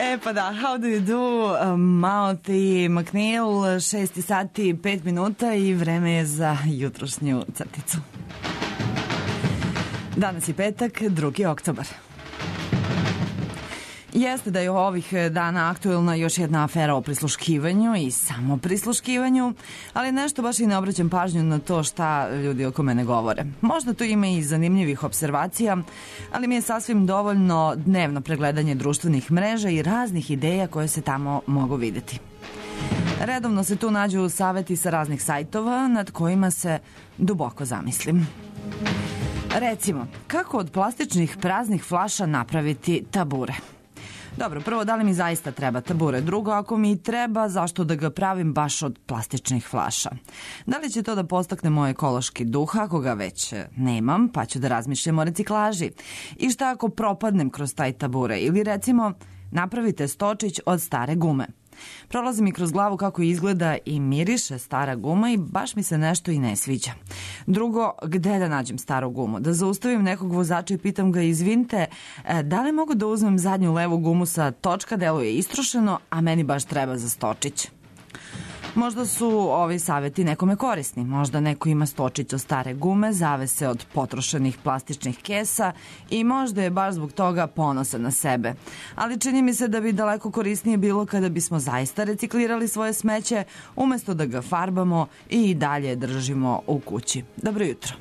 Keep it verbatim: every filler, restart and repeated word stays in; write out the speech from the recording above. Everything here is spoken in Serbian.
E pa da, how do you do, Timothy McNeil, šesti sati, pet minuta i vreme je za jutrošnju crticu. Danas je petak, drugi oktobar. Jeste da je ovih dana aktuelna još jedna afera o prisluškivanju i samo prisluškivanju, ali nešto baš i ne obraćam pažnju na to šta ljudi oko mene govore. Možda to ima i zanimljivih observacija, ali mi je sasvim dovoljno dnevno pregledanje društvenih mreža i raznih ideja koje se tamo mogu videti. Redovno se tu nađu saveti sa raznih sajtova nad kojima se duboko zamislim. Recimo, kako od plastičnih praznih flaša napraviti tabure? Dobro, prvo, da li mi zaista treba tabure? Drugo, ako mi treba, zašto da ga pravim baš od plastičnih flaša? Da li će to da postakne moj ekološki duh, ako ga već nemam, pa ću da razmišljam o reciklaži? I šta ako propadnem kroz taj tabure? Ili recimo, napravite stočić od stare gume. Prolazi mi kroz glavu kako izgleda i miriše stara guma i baš mi se nešto i ne sviđa. Drugo, gde da nađem staru gumu? Da zaustavim nekog vozača i pitam ga, izvinite, da li mogu da uzmem zadnju levu gumu sa točka, deluje istrošeno, a meni baš treba za stočić. Možda su ovi saveti nekome korisni. Možda neko ima stočić od stare gume, zavese od potrošenih plastičnih kesa i možda je baš zbog toga ponosan na sebe. Ali čini mi se da bi daleko korisnije bilo kada bismo zaista reciklirali svoje smeće umesto da ga farbamo i dalje držimo u kući. Dobro jutro.